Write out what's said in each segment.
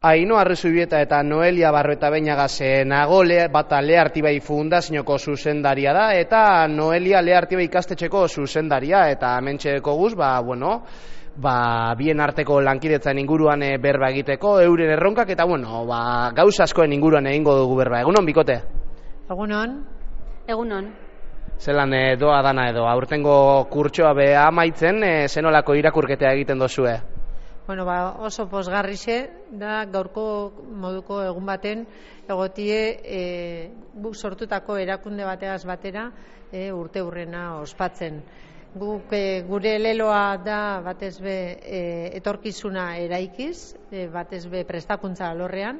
Ainhoa Arrezubieta eta Noelia Barrueta Beñagas nago bata Leartibai Fundazioko zuzendaria da eta Noelia Leartibai ikastetxeko zuzendaria eta hementxeko guz, bien arteko lankidetzan inguruan berba egiteko, euren erronkak eta gauza askoen inguruan egingo dugu berba. Egunon, bikote? Egunon. Egunon. Zelan doa dana edo, aurtengo kurtsoa beha amaitzen, zenolako irakurketea egiten dozue? Oso pozgarrixe da gaurko moduko egun baten egotie guk sortutako erakunde bateaz batera urte hurrena ospatzen. Gure leloa da batez be etorkizuna eraikiz, batez be prestakuntza alorrean,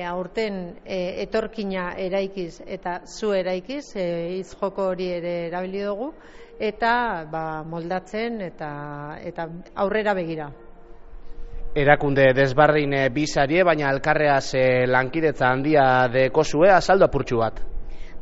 aurten etorkina eraikiz eta zu eraikiz, hitz joko hori ere erabili dugu, eta moldatzen eta aurrera begira. Erakunde desbardin bizarie, baina elkarreaz lankidetza handia dekozue, azaldu apurtxu bat.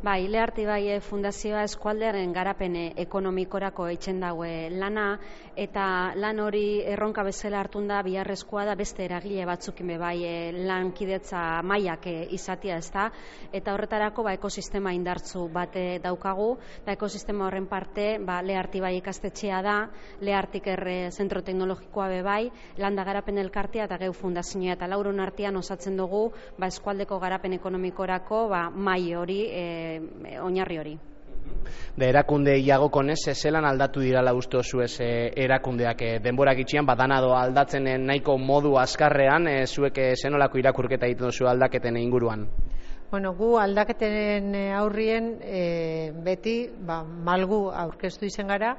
Bai, Leartibai Fundazioa eskualdearen garapen ekonomikorako eitzen daue lana, eta lan hori erronka bezala hartun da biharrezkoa da beste eragile batzukin bai lankidetza mailak izatea, ezta, eta horretarako ekosistema indartzu bate daukagu, eta ekosistema horren parte Leartibai ikastetxea da, Leartiker zentro teknologikoa bai, landa garapen elkartea eta geu fundazioa, eta lauron artean osatzen dugu eskualdeko garapen ekonomikorako mai hori oinarri hori. Erakunde iagokonez, zelan aldatu dirala uste zuez erakundeak denborak itxian, badanado aldatzen nahiko modu azkarrean, zuek zenolako irakurketa egiten duzu aldaketen inguruan? Gu aldaketen aurrien beti malgu aurkeztu izen gara,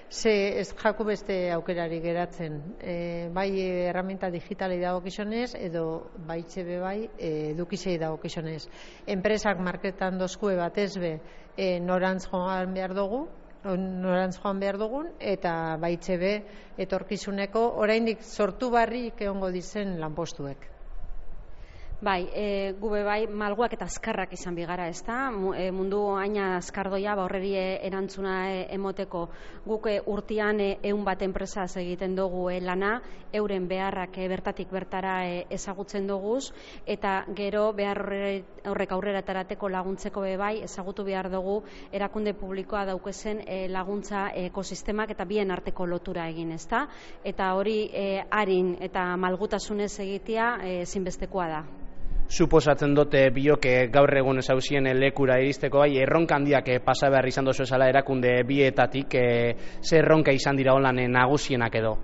ze ez jaku beste aukerari geratzen. Bai erraminta digitalei dagokizunez edo baitxebe bai edukizei dagokizunez. Enpresak marketan dozkue batez be norantz joan behar dugun eta baitxebe etorkizuneko oraindik sortu barrik egongo dizen lanpostuek. Bai, gube bai, malguak eta azkarrak izan bigara, ezta? Mundu aina azkardoia, horreri erantzuna emoteko guk urtean 100 bat enpresaz egiten dugu lana, euren beharrak bertatik bertara ezagutzen duguz, eta gero behar horrek aurrera tarateko laguntzeko bai, ezagutu behar dugu erakunde publikoa daukezen laguntza ekosistemak eta bien arteko lotura egin, ezta? Eta hori arin eta malgutasunez egitea ezinbestekoa da. Suposatzen dute bioke gaur egun ezauzien lekura iristeko erronka handiak pasa behar izan dozu esala erakunde bietatik, ze erronka izan dira holan nagusienak edo?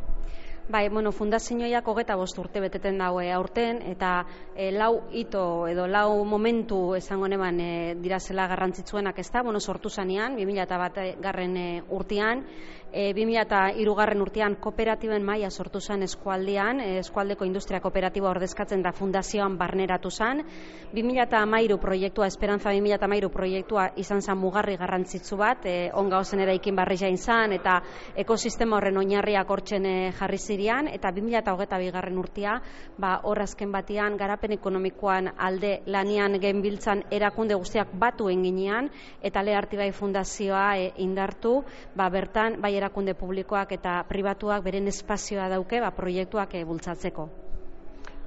Bai, fundazioak 25 urte beteten daue aurten, eta lau hito edo lau momentu esango neban dirazela garrantzitsuenak, ezta? Sortu zanean, 2001 urtean, 2003 urtean kooperatiben maila sortu zen eskualdean, eskualdeko industria kooperatiba ordezkatzen da fundazioan barneratu zen, 2013 proiektua, Esperantza 2013 proiektua izan zen mugarri garrantzitsu bat, onga ozen eraikin barri jain zen, eta ekosistema horren oinarriak hortzen jarri zirian, eta 2022 urtea, hor azken batean, garapen ekonomikoan alde lanian genbiltzan erakunde guztiak batu enginean, eta Leartibai Fundazioa indartu, bertan, bai erakunde publikoak eta pribatuak beren espazioa dauke, proiektuak bultzatzeko.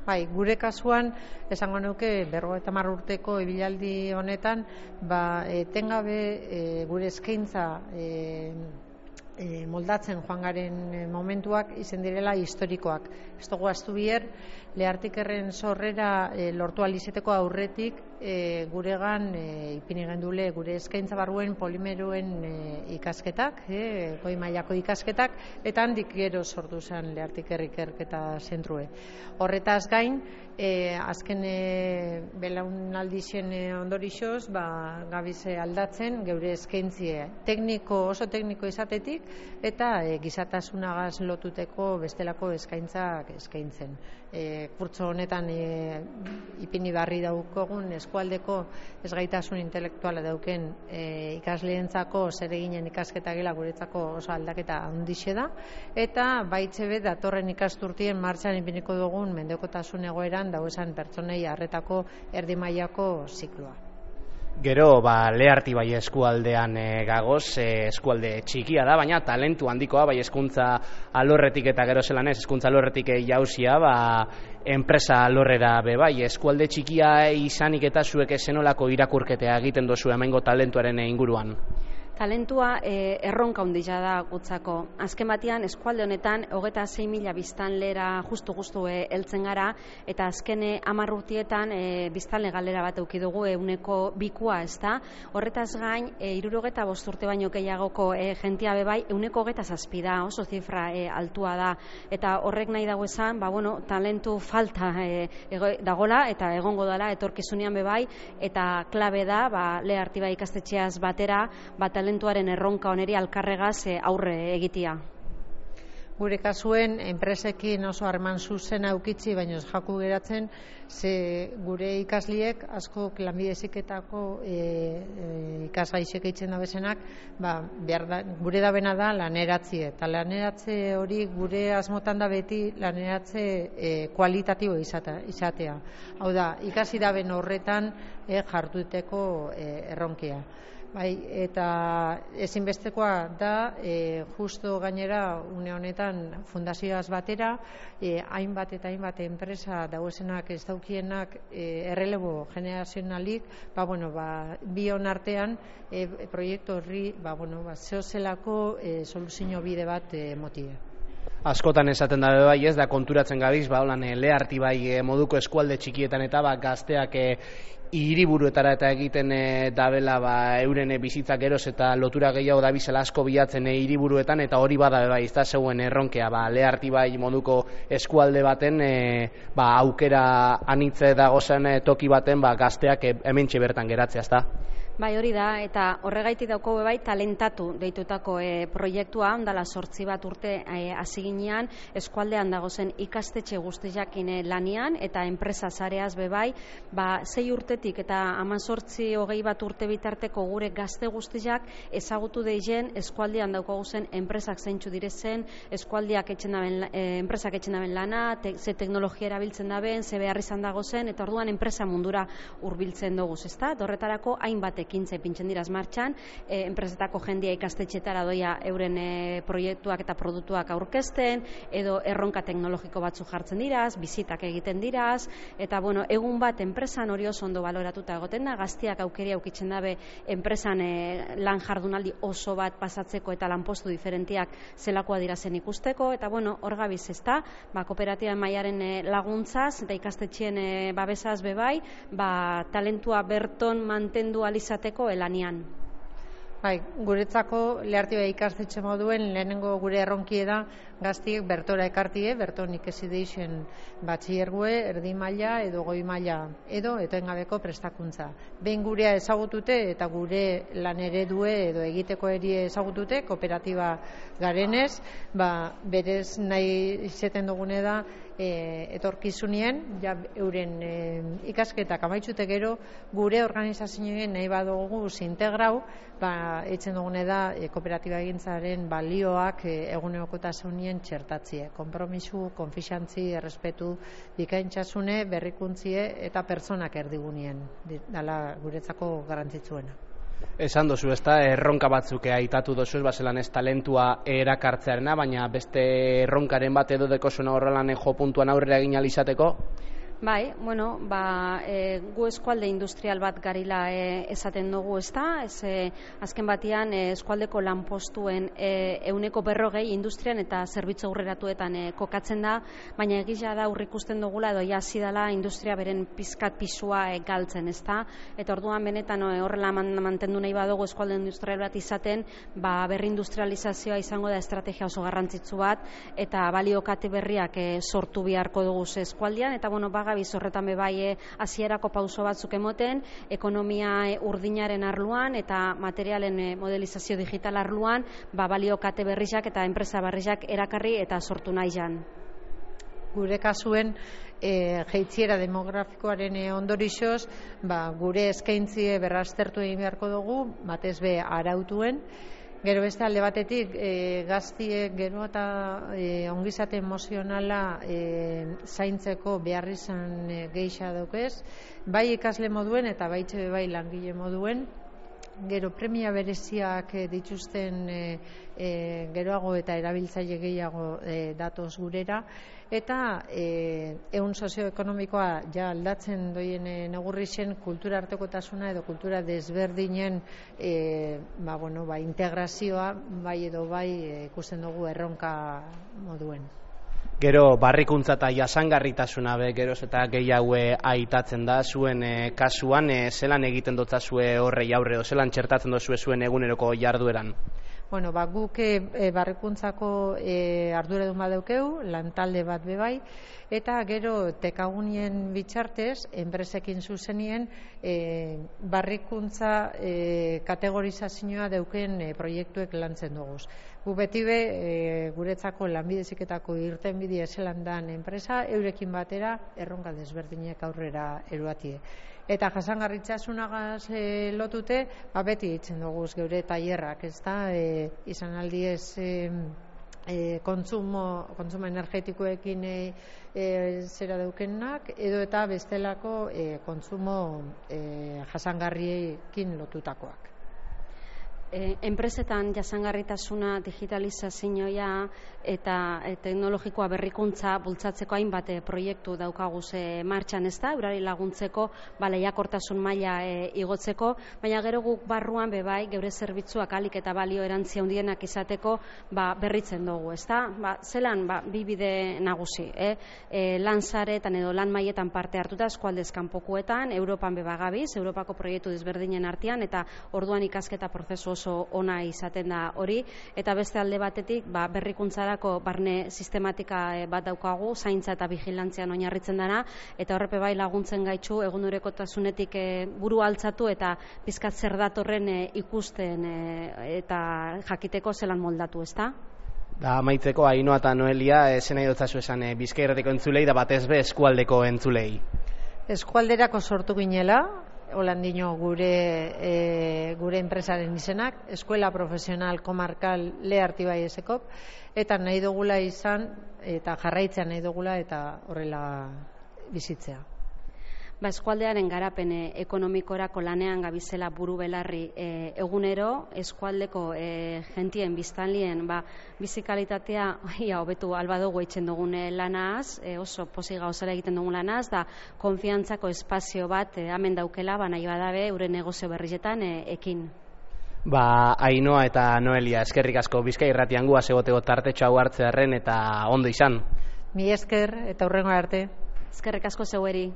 Bai, gure kasuan, esango nuke 50 urteko ibilaldi honetan, etengabe gure eskaintza moldatzen joan garen momentuak izen direla historikoak. Ez dugu astu bier, Leartikerren sorrera lortu alizeteko aurretik guregan ipini gendule gure eskaintza barruen polimeroen ikasketak, goi mailako ikasketak, eta handik gero sortu zen Leartiker ikerketa zentrue. Horretaz gain, azken belaunaldixen ondorixoz, gabize aldatzen geure eskaintzie oso tekniko izatetik, eta gizatasunagaz lotuteko bestelako eskaintzak eskaintzen. Kurtso honetan ipini barri daukogun eskualdeko ezgaitasun intelektuala dauken ikasleentzako zereginen ikasketa gela guretzako oso aldaketa handixe da, eta baitxebe datorren ikasturtien martxan ipiniko dugun mendekotasun egoeran dauesan pertsonei arretako erdi mailako zikloa. Gero, Leartibai eskualdean gagoz, eskualde txikia da, baina talentu handikoa, bai hezkuntza alorretik eta gero zelan ez, hezkuntza alorretik jauzia, enpresa alorrera bai, eskualde txikia izanik eta zuek zenolako irakurketea egiten dozu hemengo talentuaren inguruan? Talentua erronka handia da gutzako. Azken batean eskualde honetan 26.000 biztanlera justu heltzen gara eta azken 10 urteetan biztanle galera bat eduki dugu 2%, ezta? Horretaz gain 65 urte baino gehiagoko jentia bai 27% da, oso zifra altua da eta horrek nahi dago esan, talentu falta dagola eta egongo dela etorkizunean bai eta klabe da Leartibai ikastetxeaz batera talentuaren erronka oneri alkarregaz aurre egitea. Gure kasuen enpresekin oso harreman zuzena aukitzi, baina jaku geratzen, ze gure ikasliek asko lanbide heziketako ikasgaixek eitzen da bezenak, gure dabena da laneratzie, eta laneratze hori gure asmotan da beti laneratze kualitatibo izatea. Hau da, ikasi daben horretan jarduteko erronkia. Eta ezinbestekoa da, justo gainera une honetan fundazioaz batera, hainbat eta hainbat enpresa dauzenak ez daukienak errelebo generazionalik, bion artean proiektu horri zehozelako soluzio bide bat motie. Askotan esaten da bai ez da konturatzen gabiz, Leartibai moduko eskualde txikietan eta gazteak hiriburuetara eta egiten dabela euren bizitzak geroz eta lotura gehiago dabizela asko bilatzen hiriburuetan eta hori bada bai, ez da zeuen erronkea, Leartibai moduko eskualde baten aukera anitze dagozen toki baten gazteak hementxe bertan geratzea, ez da? Bai, hori da, eta horregaitik dauko bai talentatu deitutako proiektua, ondala 8 urte hasi ginean, eskualdean dagozen ikastetxe guztiakin lanian, eta enpresa zareaz bai, 6 urtetik eta 18-20 urte bitarteko gure gazte guztiak ezagutu deizen eskualdean daukaguzen enpresak zeintzu direzen, eskualdeak enpresak etxen daben lana, ze teknologia erabiltzen daben, ze behar izan dagozen, eta orduan enpresa mundura hurbiltzen dugu, ezta? Horretarako hainbat ekintza ipintzen diraz martxan, enpresetako jendia ikastetxetara doia euren proiektuak eta produktuak aurkezten, edo erronka teknologiko batzu jartzen diraz, bizitak egiten diraz, eta egun bat enpresan hori oso ondo baloratuta egoten da, gaztiak aukeria aukitzen dabe enpresan lan jardunaldi oso bat pasatzeko eta lanpostu diferentiak zelakoa dirazen ikusteko, eta hor gabiz ezta, kooperatiba mailaren laguntzaz eta ikastetxeen babesaz bai, talentua berton mantendu alizateko elanian. Guretzako Leartibai ikastetxe moduen lehenengo gure erronkie da gaztiek bertora ekartie, berton ikasi deixen batxillergue, erdi maila edo goi maila edo etengabeko prestakuntza. Behin gurea ezagutute eta gure lan eredue edo egiteko eri ezagutute, kooperatiba garenez, berez nahi izeten dugune da etorkizunien, euren ikasketak amaitxute gero, gure organizazioen nahi badugu zintegrau, eitzen dugune da kooperatiba egintzaren balioak egunerokotasunien txertatzie, konpromisu, konfixantzi, errespetu, bikaintxasune, berrikuntzie eta pertsonak erdigunien, dala guretzako garrantzitsuena. Esan dozu, ezta, erronka batzuk aitatu dozu, bazelan ez talentua erakartzearena, baina beste erronkaren bat edo dekosuna horrelan jo puntuan aurrera egin alizateko? Bai, gu eskualde industrial bat garila esaten dugu, ezta? Azken batean eskualdeko lanpostuen 40% industrian eta zerbitzu aurreratuetan kokatzen da, baina egia da aurrikusten dugula edo hasi dela industria beren pizkat pisua galtzen, ezta? Eta orduan benetan horrela mantendu nahi badugu eskualde industrial bat izaten, berrindustrializazioa izango da estrategia oso garrantzitsu bat eta baliokate berriak sortu beharko dugu eskualdean, eta gabiz horretan bebai hasierako pauso batzuk emoten, ekonomia urdinaren arluan eta materialen modelizazio digital arluan, baliokate berriak eta enpresa berriak erakarri eta sortu nahi jan. Gure kasuen jeitziera demografikoaren ondorixoz, gure eskaintzie berraztertu egin beharko dugu, batez be arautuen, Gero beste alde batetik, gaztiek gero eta ongizate emozionala zaintzeko behar izan geisha daukez, bai ikasle moduen eta bai langile moduen. Gero premia bereziak dituzten geroago eta erabiltzaile gehiago datoz gurera, eta ehun sozioekonomikoa ja aldatzen doien neurri zen kultura artekotasuna edo kultura desberdinen integrazioa bai edo bai ikusten dugu erronka moduen. Gero barrikuntza eta jasangarritasuna geroz eta gehiago aitatzen da zuen kasuan, zelan egiten dotzazue horrei aurre edo zelan txertatzen dozue zuen eguneroko jardueran? Bueno, guk barrikuntzako arduradun badeukeu, lantalde bat bebai, eta gero tekagunien bitxartez, enpresekin zuzenien, barrikuntza kategorizazioa deuken proiektuek lantzen dugu. Gu beti guretzako lanbide heziketako irtenbide ezelan dan enpresa, eurekin batera erronka desberdinek aurrera eruatie. Eta jasangarritzasunagaz lotute, beti ditzen dugu geure tailerrak, ezta, izan aldiez kontsumo energetikoekin zera daukenak, edo eta bestelako kontsumo jasangarriekin lotutakoak. Enpresetan jasangarritasuna, digitalizazioa eta teknologikoa berrikuntza bultzatzeko hainbat proiektu daukaguz martxan, ez da, eurari laguntzeko, lehiakortasun maila igotzeko, baina gero guk barruan bebai geure zerbitzuak alik eta balio erantzia handienak izateko berritzen dugu, ez da? Zelan bi bide nagusi, lan saretan edo lan mailetan parte hartuta eskualdez kanpokoetan, Europan gabiz, Europako proiektu desberdinen artean, eta orduan ikasketa prozesu oso ona izaten da hori, eta beste alde batetik berrikuntzarako barne sistematika bat daukagu, zaintza eta vigilantzian oinarritzen dana, eta horrepe bai laguntzen gaitxu egunerokotasunetik buru altzatu eta pizkat zer datorren ikusten eta jakiteko zelan moldatu, ezta? Amaitzeko, Ainhoa eta Noelia, zen nahi dotzazu esan Bizkaia Irratiko entzulei da batez be eskualdeko entzulei. Eskualderako sortu ginela, holandino gure enpresaren izenak, Eskuela Profesional Komarkal Lehartibai Esekop, eta nahi dugula izan, eta jarraitzea nahi dugula, eta horrela bizitzea. Eskualdearen garapen ekonomikorako lanean gabizela buru belarri egunero, eskualdeko jentien biztanlien bizikalitatea hobetu albadugu eitzen dugun lanaz, oso pozik gauzara egiten dugun lanaz, da konfiantzako espazio bat hemen daukela, nahi badabe euren negozio berrietan ekin. Ainhoa eta Noelia, eskerrik asko Bizkaia Irratian guaz egoteko tartetxo hau hartzearren eta ondo izan. Mi esker eta hurrengo arte. Eskerrik asko zeueri.